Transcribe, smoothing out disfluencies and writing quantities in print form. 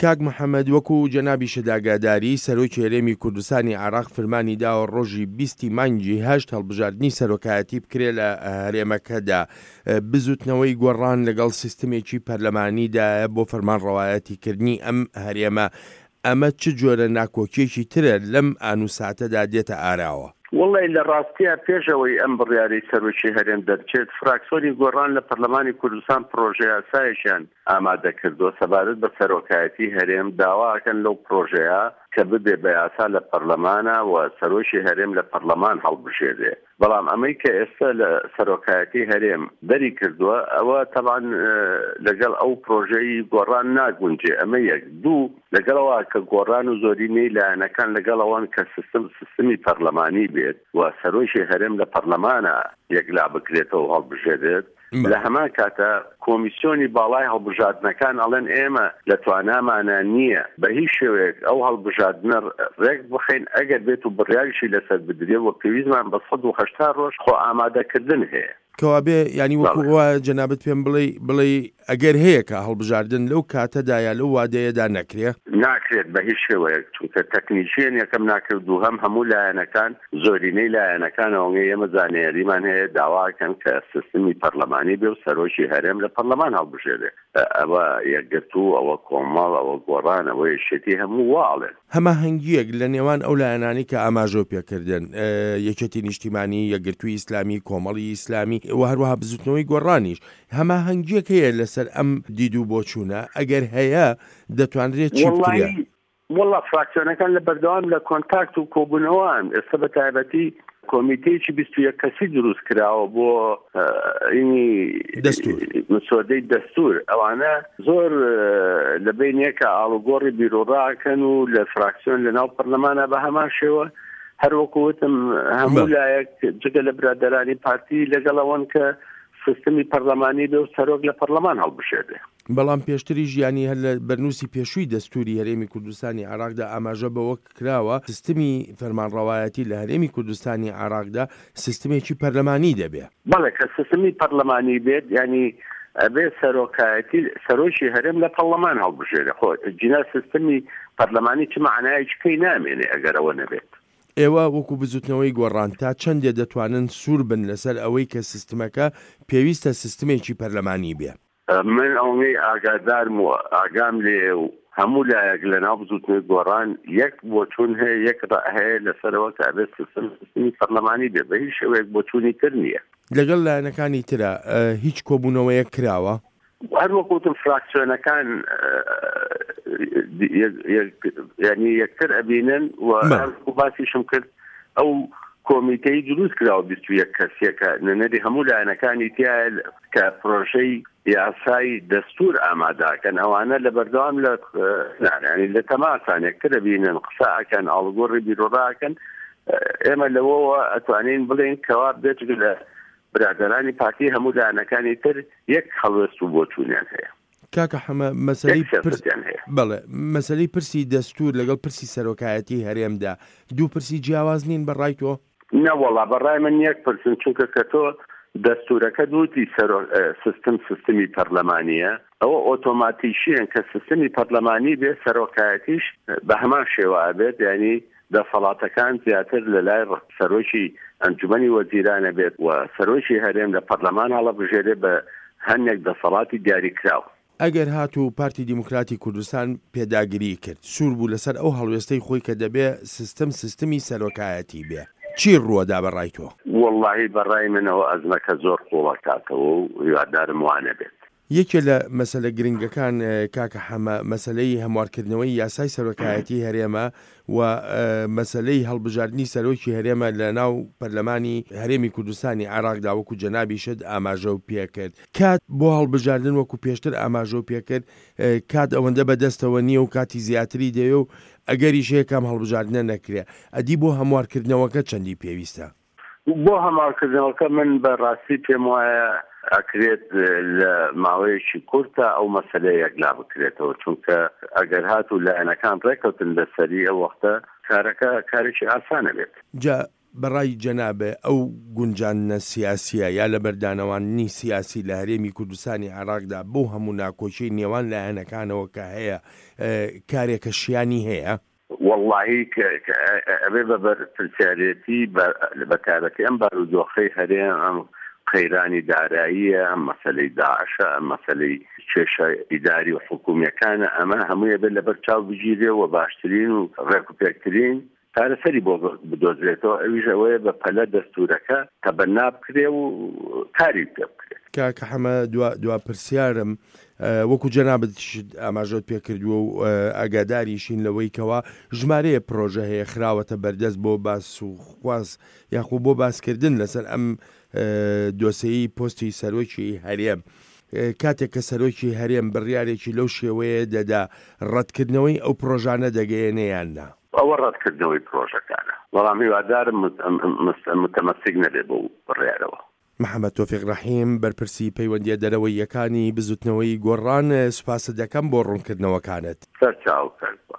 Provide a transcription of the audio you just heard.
کاک محەمەد وەکو جەنابیشت ئاگاداری، سەرۆکی هەرێمی کوردستانی عێراق فرمانی داوە ڕۆژی بیست ی مانگی هەشت هەڵبژاردنی سەرۆکایەتی بکرێ لە هەرێمەکەدا. بزوتنەوەی گۆڕان لەگەڵ سیستمێکی پەرلەمانیدایە بۆ فەرمانڕەوایەتی کردنی ئەم هەرێمە. ئەمە چ جۆرە ناکۆکیەکی ترە لەم ئان و ساتەدا دێتە ئاراوە؟ وەڵی لە ڕاستیا پێش ئەوەی ئەم بڕیارەی سەرۆکی هەرێم دەرچێت، فراکسۆنی گۆڕان لە پەرلەمانی کوردستان پڕۆژەیاسایەکیان ئامادە کردووە سەبارەت بە سەرۆکایەتی هەرێم، داوا ئەکەن لەو پڕۆژەیە کە ببێ بە یاسا لە پەرلەمانا و سەرۆکی هەرێم لە پەرلەمان هەڵبژێرێ، بەڵام ئەمەی کە ئێستا لە سەرۆکایەتی هەرێم دەری کردووە ئەوە تەبعەن لەگەڵ ئەو پڕۆژەی گۆڕان ناگونجێ، ئەمە یەک. دوو، لەگەڵ ئەوە کە گۆڕان و زۆرینەی لایەنەکان لەگەڵ ئەوەن کە سیستم سیستمی پەرلەمانی بێت و سەرۆکی هەرێم لە پەرلەمانا یەکلا بکرێتەوە و هەڵبژێرێت، لە هەمان کاتا کۆمیسیۆنی باڵای هەڵبژاردنەکان ئەڵێن ئێمە لە توانامانا نییە بە هیچ شێوەیەک ئەو هەڵبژاردنە ڕێک بخەین ئەگەر بێت و بڕیاریشی لەسەر بدرێ و پێویستمان بە 180 ڕۆژ خۆ ئامادەکردن هەیە. کەوابێ یانی وەکو وایە جەنابت پێم بڵێی بڵێی ئەگەر هەیە کە هەڵبژاردن لەو کاتەدا یا لەو وادەیەدا نەکرێ؟ ناکرێت بە هیچ شێوەیەک چونکە تەکنیکیەن یەکەم ناکرێت دووهەم هەموو لایەنەکان زۆرینەی لایەنەکان ئەوەنگەی ئێمە زانیاریمان هەیە داواکەن کە سیستمی پەرلەمانی بێ و سەرۆکی هەرێم لە پەرلەمان هەڵبژێرێ ئەوە یەکگرتوو ئەوە کۆمەڵ ئەوە گۆڕان ئەوە یەکێتی هەموو وا ئەڵێن. هەماهەنگییەک لە نێوان ئەو لایەنانەی کە ئاماژەو پێکردن، یەکێتی نیشتیمانی، یەکگرتووی ئیسلامی، کۆمەڵی ئیسلامی و هەروەها بزوتنەوەی گۆڕانیش، هەماهەنگییەک هەیە لەسەر ئەم دید و بۆچوونە؟ ئەگەر هەیە دەتوانرێت چی بکرێ؟ وەڵا فراکسیۆنەکان لە بەردەوام لە کۆنتاکت و کۆبوونەوەن، ئێستا بە تایبەتی کۆمیتەیەکی 21 کەسی دروست کراوە بۆ ئینی دەستور مسۆدەی دەستور ئەوانە زۆر لە بینێکە ئاڵوگۆڕی بیرۆڕاکەن و لە فراکسیۆن لە ناو پەرلەمانە بە هەمان شێوە هەروەکو وتم هەموو لایەک جگە لە برادەرانی پارتی لەگەڵ ئەوەن کە سیستمی پەرلەمانی بێ و سەرۆک لە پەرلەمان هەڵبژێرێ. بەڵام پێشتریش یانی هەر لە بەرنووسی پێشووی دەستووری هەرێمی کوردستانی عێراقدا ئاماژە بەوە کراوە سیستمی فەرمانڕەوایەتی لە هەرێمی کوردستانی عێراقدا سیستمێکی پەرلەمانی دەبێ. بەڵێ کە سیستمی پەرلەمانی بێت یانی ئەبێ سەرۆکایەتی سەرۆکی هەرێم لە پەڕلەمان هەڵبژێرێ خۆ جینا سیستمی پەرلەمانی چ مەعنایەکی پێی نامێنێ ئەگەر ئەوە نەبێت. ئێوە وەکو بزوتنەوەی گۆڕان تا چەندێ دەتوانن سوور بن لەسەر ئەوەی کە سیستمەکە پێویستە سیستمێکی پەرلەمانی بێ؟ من ئەوەی ئاگادارم و ئاگام لێیە و هەموو لایەک لە ناو بزوتنەوەی گۆڕان یەک بۆچوون هەیە، یەک ڕەئ هەیە لەسەرەوە کە ئەبێت سیستم سیستمی پەرلەمانی بێ، بە هیچ شێوەیەک بۆچوونی تر نییە. لەگەڵ لایەنەکانی ترا هیچ کۆبوونەوەیەک کراوە؟ هەر وەک وتم فراکسیۆنەکان یعنی یەکتر ئەبینن و باسیشم کرد ئەو کۆمیتەی دروست کراوە 21 کەسیەکە نوێنەری هەموو لایەنەکانی تایە کە پرۆژەی یاسای دەستور ئاماداکەن ئەوانە لە بەردەوام لە ینی لە تەماسان یەکتر بینن قسە ئەکەن ئاڵگۆڕی بیرۆڕاکەن ئێمە لەوەوە ئەتوانین بڵێن کەوا بێجگە لە برادەرانی پارتی هەموو لایەنەکانی تر یەک هەڵوێست و بۆچوونیان هەیە. کاکە حەمە مەسەلەی پرس بەڵێ مەسەلەی پرسی دەستوور لەگەڵ پرسی سەرۆکایەتی هەرێمدا دوو پرسی جیاواز نین بە ڕای تۆ؟ نەوەڵا بە ڕای من یەک پرسن چونکە کە تۆ دەستوورەکەت وتی سەرۆک سیستم سیستمی پەرلەمانییە ئەوە ئۆتۆماتیکییەن کە سیستمی پەرلەمانی بێ سەرۆکایەتیش بە هەمان شێوە ئەبێت یانی دەسەڵاتەکان زیاتر لە لای سەرۆکی ئەنجومەنی وەزیران ئەبێت و سەرۆکی هەرێم لە پەرلەمان هەڵەبژێرێ بە هەنێک دەسەڵاتی دیاریکراو. ئەگەر هاتوو پارتی دیموکراتی کوردستان پێداگریی کرد، سوور بوو لەسەر ئەو هەڵوێستەی خۆی کە دەبێ سیستم سیستمی سەرۆکایەتی بێ، چی ڕووەدا بە ڕای تۆ؟ وەڵاهی بە ڕای من ئەوە ئەزمەکە زۆر قووڵ ئەکاتەوە و هیوادارم وا نەبێت. یەکێ لە مەسەلە گرنگەکان کاکە حەمە مەسەلەی هەموارکردنەوەی یاسای سەرۆکایەتی هەرێمە و مەسەلەی هەڵبژاردنی سەرۆکی هەرێمە لە ناو پەرلەمانی هەرێمی کوردستانی عێراقدا وەکو جەنابیشت ئاماژەو پێکرد کات بۆ هەڵبژاردن وەکو پێشتر ئاماژەو پێکرد کات ئەوەندە بەدەستەوە نییە و کاتی زیاتری دەوێ و ئەگەریش هەیە کام هەڵبژاردنە نەکرێ ئەدی بۆ هەموارکردنەوەکە چەندی پێویستە؟ بۆ هەماڵکردنەوەکە من بە ڕاستی پێم وایە ئەکرێت لە ماوەیەکی کورتە ئەو مەسەلەیە یەکلا بکرێتەوە چونکە ئەگەر هاتوو لایەنەکان ڕێکەوتن لەسەری ئەو وەختە کارەکە کارێکی ئاسانە بێت. جا بەڕای جەنابێ ئەو گونجاندنە سیاسیە یا لەبەردانەواندنی سیاسی لە هەرێمی کوردستانی عێراقدا بەو هەموو ناکۆکیەی نێوان لایەنەکانەوە کە هەیە کارێکە شیانی هەیە؟ وەڵاهی ئەبێ بە بەرپرسیارێتی بە تایبەتی ئەم بارودۆخەی هەرێم ئەم قەیرانی داراییە ئەم مەسەلەی داعشە ئەم مەسەلەی کێشە ئیداری و حکومیەکانە ئەمە هەمووی ئەبێ لەبەر چاو بگیرێ و باشترین و ڕێکوپێکترین چارەسەری بۆ بدۆزرێتەوە ئەویش ئەوەیە بە پەلە دەستورەکە تەبەنا بکرێ و کاری پێ بکرێت. کاکە حەمە دوا دوا پرسیارم وەکو جەنابت ئاماژەت پێ کردووە و ئاگاداریشین لەوەی کەوا ژمارەیە پرۆژە هەیە خراوەتە بەردەست بۆ باس و خواست یاخۆ بۆ باسکردن لەسەر ئەم دۆسێی پۆستی سەرۆکی هەرێم کاتێک کە سەرۆکی هەرێم بڕیارێکی لەو شێوەیە دەدا ڕەتکردنەوەی ئەو پرۆژانە دەگەیەنێ یان نا؟ ئەوە ڕەتکردنەوەی پرۆژەکانە، بەڵام هیوادارم متەمەسک نەبێ بەو بڕیارەوە. محەمەد تۆفیق ڕەحیم، بەرپرسی پەیوەندییە دەرەوەییەکانی بزوتنەوەی گۆڕان، سوپاست دەکەم بۆ ڕوونکردنەوەکانت. سەرچاو کەس بە.